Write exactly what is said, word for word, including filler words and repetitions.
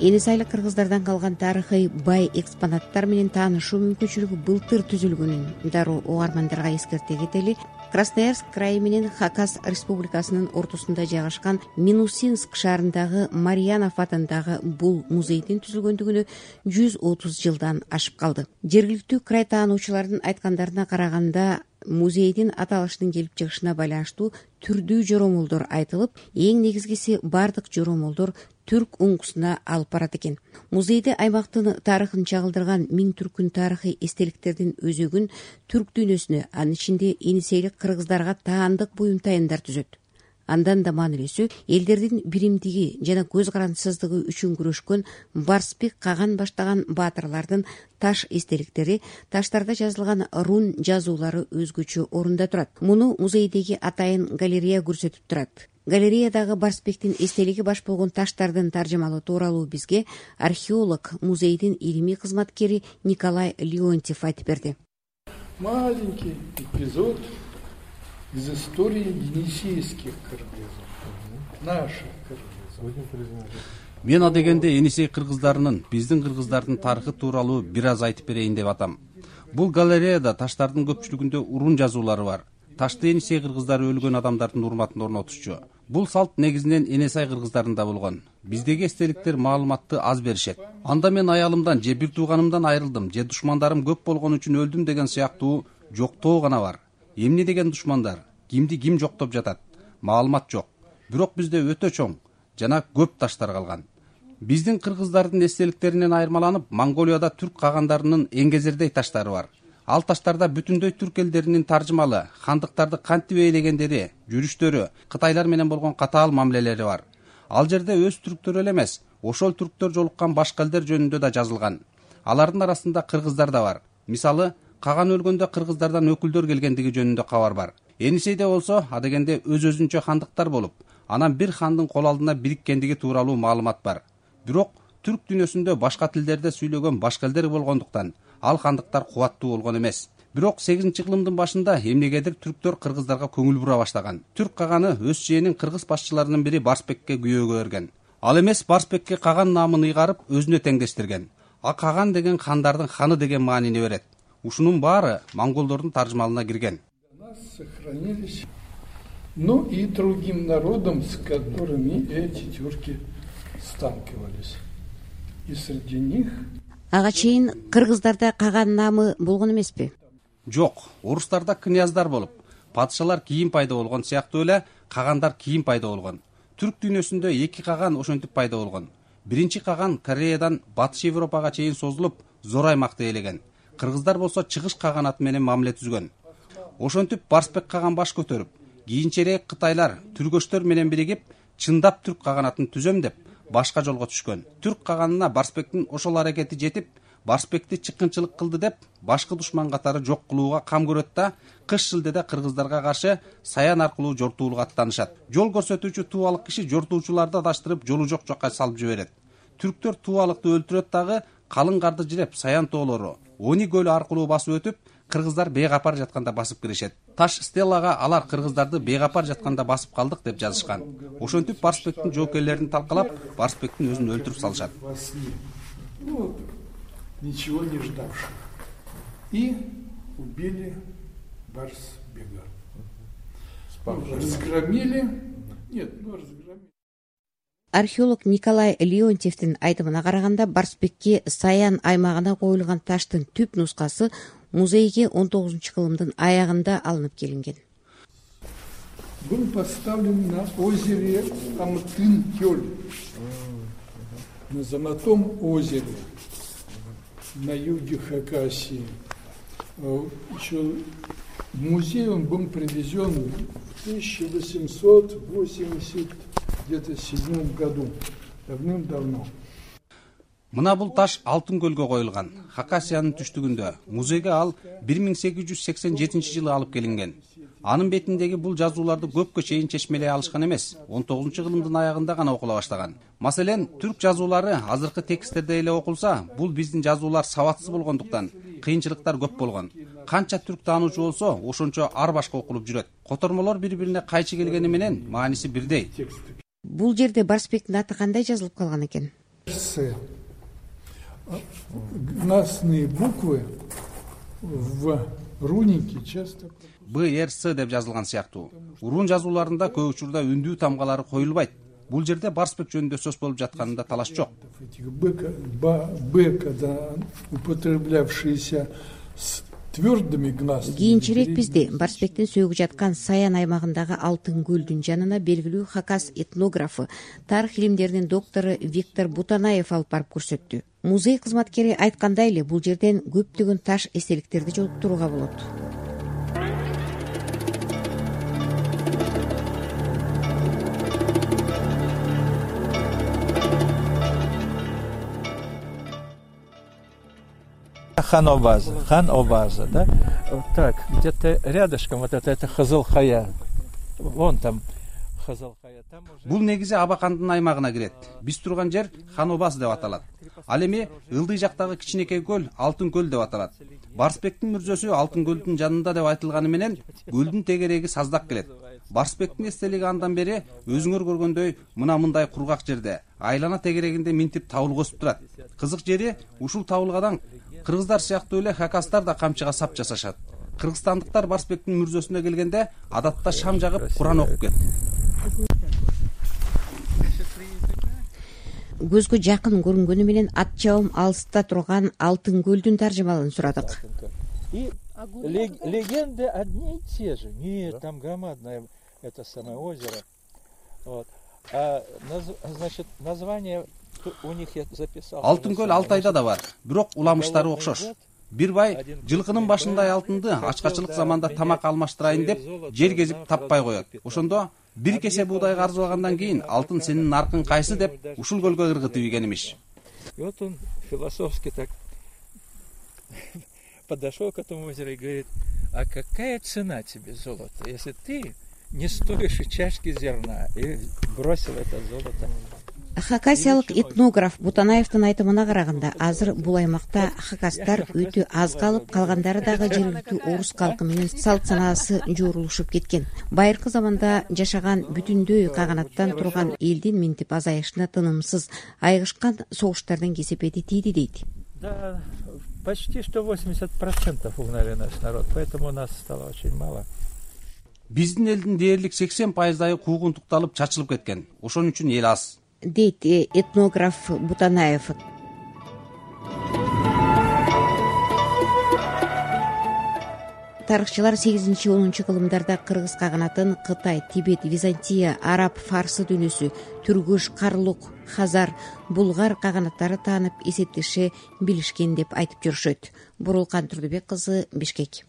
эни сайлык кыргыздардан калган тарыхый бай экспонаттар менен таанышуу мүмкүнчүлүгү былтыр түзүлгөнүн дароо угармандарга эскерте кетели. Красноярск крайы менен Хакас республикасынын ортосунда жайгашкан Минусинск шаарындагы Марьянов атындагы бул музейдин түзүлгөндүгүнө жүз отуз жылдан ашып калды. Жергиликтүү край таануучулардын айткандарына караганда, музейдин аталыштын келип чыгышына байланыштуу түрдүү жоромолдор айтылып, эң негизгиси бардык жоромолдор түрк уңгусуна алып барат экен. Музейде аймактын тарыхын чагылдырган миң түркүн тарыхый эстеликтердин өзөгүн түрк дүйнөсүнө, анын ичинде энисейлик кыргыздарга таандык буюм тайындар түзөт. Андан да маанилүүсү, элдердин биримдиги жана көз карандысыздыгы үчүн күрөшкөн Барсбек Каган баштаган баатырлардын таш эстеликтери, таштарда жазылган рун жазуулары өзгөчө орунда турат. Муну музейдеги атайын галерея көрсөтүп турат. Галереядагы Барсбектин эстелиги баш болгон таштардын таржымалоо тууралуу бизге археолог, музейдин илимий кызматкери Николай Леонтьев айтып берди. Маленький эпизод из истории енисейских кыргызов, наших кыргызов. Мен адегенде Енисей кыргыздарынын, биздин кыргыздардын тарыхы тууралуу бир аз айтып берейин деп атам. Бул галереяда таштардын көпчүлүгүндө урун жазуулары бар. Ташты Енисей кыргыздары өлгөн адамдардын урматына орнотушчу. Бул салт негизинен Енисей кыргыздарында болгон. Биздеги эстеликтер маалыматты аз беришет. Анда мен аялымдан же бир тууганымдан айрылдым, же душмандарым көп болгон үчүн өлдүм деген сыяктуу жоктоо гана бар. Эмне деген душмандар? Кимди ким жоктоп жатат? Маалымат жок. Бирок бизде өтө чоң жана көп таштар калган. Биздин кыргыздардын эстеликтеринен айырмаланып, Монголияда түрк кагандарынын эңгезердей таштары бар. Ал таштарда бүтүндөй түрк элдеринин таржымалы, хандыктарды кантип ээлегендери, жүрүштөрү, кытайлар менен болгон катаал мамилелери бар. Ал жерде өз түрктөр эле эмес, ошол түрктөр жолуккан башка элдер жөнүндө да жазылган. Алардын арасында кыргыздар да бар. Мисалы, Каган өлгөндө кыргыздардан өкүлдөр келгендиги жөнүндө кабар бар. Енисейде болсо, адегенде өз-өзүнчө хандыктар болуп, анан бир хандын кол алдына бириккендиги тууралуу маалымат бар. Бирок түрк дүйнөсүндө башка тилдерде сүйлөгөн башка элдер болгондуктан ал хандыктар кубаттуу болгон эмес. Бирок сегизинчи кылымдын башында эмнегедир түрктөр кыргыздарга көңүл бура баштаган. Түрк Каганы өз жээнин кыргыз башчыларынын бири Барсбекке күйөөгө берген. Ал эмес Барсбекке Каган наамын ыйгарып өзүнө теңдештирген. А Каган деген хандардын ханы деген маанини берет. Ушунун баары монголдордун таржымалына кирген. Сохранились, ну и другим народам, с которыми эти тюрки сталкивались. И среди них Ага чейин кыргыздарда Каган наамы болгон эмеспи? Жок, орустарда княздар болуп, падышалар кийин пайда болгон сыяктуу эле Кагандар кийин пайда болгон. Түрк дүйнөсүндө эки Каган ошентип пайда болгон. Биринчи Каган Кореядан Батыш Европага чейин созулуп, зор аймакты ээлеген. Кыргыздар болсо Чыгыш Каганаты менен мамиле түзгөн. Ошентип Барсбек Каган баш көтөрүп, кийинчерээк кытайлар түргөчтөр менен биригип, чындап түрк каганатын түзөм деп башка жолго түшкөн. Түрк каганына Барсбектин ошол аракети жетип, Барсбекти чыккынчылык кылды деп башкы душман катары жок кылууга кам көрөт да, кыш шилдеде кыргыздарга каршы Саян аркылуу жортуулук аттанышат. Жол көрсөтүүчү тубалык киши жортуучуларды адаштырып, жолу жок жакка салып жиберет. Түрктөр тубалыкты өлтүрөт дагы, калың карды жиреп Саян тоолору, Они көлү аркылуу басып өтүп, кыргыздар бейгапар жатканда басып киришет. Таш стеллага алар кыргыздарды бейгапар жатканда басып калдык деп жазышкан. Ошентип Барсбектин жоокерлерин талкалап, Барсбектин өзүн өлтүрүп салышат. Ну, ничего не ждавших. И убили Барсбега. Разгромили. Нет, ну разгромили. Археолог Николай Леонтьевдин айтымына караганда, Барсбекке Саян аймагына коюлган таштын түп нускасы музейге он тогузунчу кылымдын аягында алынып келинген. Был поставлен на озере Амтын-Кёль, на Золотом озере, на юге Хакасии. Еще в музей он был привезен в тысяча восемьсот восемьдесят где-то седьмом году, давным-давно. Мына бул таш Алтын көлгө коюлган. Хакасиянын түштүгүндө. Музейге ал бир миң сегиз жүз сексен жетинчи жылы алып келинген. Анын бетиндеги бул жазууларды көпкө чейин чечмелей алышкан эмес, он тогузунчу кылымдын аягында гана окула баштаган. Маселен, түрк жазуулары азыркы тексттерде эле окулса, бул биздин жазуулар сабатсыз болгондуктан кыйынчылыктар көп болгон. Канча түрк таануучу болсо, ошончо ар башка окулуп жүрөт. Котормолор бири-бирине кайчы келгени менен мааниси бирдей. Бул жерде Барсбектин аты кандай жазылып калган экен? С. Гласные буквы в рунике часто... Б, Р, С деп жазылган сыяктуу. Урун жазууларында көп учурда үндүү тамгалары коюлбайт. Бул жерде барспек жөнүндө сөз болуп жатканында талаш жок. Б, когда употреблявшиеся с твердыми гласными... Кийинчерээк бизди барспектин сөөгү жаткан Саян аймагындагы Алтын көлдүн жанына белгилүү Хакас этнографы, тарых илимдеринин доктору Виктор Бутанаев алып барып көрсөттү. Музей кызматкери айткандай эле, бул жерден көптөгөн таш эстеликтерди жолуктурууга болот. Хан-Обаза, Хан-Обаза, да? Вот так, где-то рядышком вот это, это Хызыл-Хая. Вон там Хызыл-Хая. Бул негизи Абакандын аймагына кирет. Биз турган жер Хан-Обаз деп аталат. Ал эми ылдый жактагы кичинекей көл Алтын көл деп аталат. Барспектин мүрзөсү Алтын көлдүн жанында деп айтылганы менен көлдүн тегереги саздак келет. Барспектин эстелиги андан бери өзүңөр көргөндөй мына мындай кургак жерде, айлана тегерегинде минтип табыл косуп турат. Кызык жери, ушул табылгадан кыргыздар сыяктуу эле хакастар да камчыга сап жасашат. Кыргызстандыктар барспектин мүрзөсүнө келгенде адатта шам жагып Куран окуп келет. Көзгө жакын көрүнгөнү менен ат жабым алыста турган Алтын көлдүн таржымалын сурадык. И легенды одни и те же. Нет, там громадное это самое озеро. Вот. А значит, название у них я записал. Алтын көл Алтайда да бар, бирок уламыштары окшош. Бир бай жылкынын башындай алтынды ачкачылык заманда тамак алмаштырайын деп жер кезип таппай коет. Ошондо бир кесе буудайга арзыбагандан кийин алтын сенин наркың кайсы деп ушул көлгө ыргытып ийген имиш. И вот он философски так подошел к этому озеру и говорит: а какая цена тебе золото, если ты не стоишь и чашки зерна? И бросил это золото. Хакасиялык этнограф Бутанаевдин айтымына караганда, азыр бул аймакта хакастар өтө аз калып, калгандары дагы жергиликтүү орус калкы менен салт санаасы жуурулушуп кеткен. Байыркы заманда жашаган бүтүндөй каганаттан турган элдин минтип азайышына тынымсыз айгышкан согуштардын кесепети тийди дейт. Да, почти что восемьдесят процентов угнали наш народ, поэтому нас стало очень мало. Биздин элдин дээрлик сексен пайыздайы куугунтукталып чачылып кеткен. Ошон үчүн эл аз, дейт этнограф Бутанаев. Тарыхчылар сегизинчи онунчу кылымдарда кыргыз каганатын Кытай, Тибет, Византия, Араб, Фарсы дүйнөсү, Түргүш, Карлук, Хазар, Булгар каганаттары таанып эсептеше билишкен деп айтып жүрүшөт. Бурулкан Турдубек кызы, Бишкек.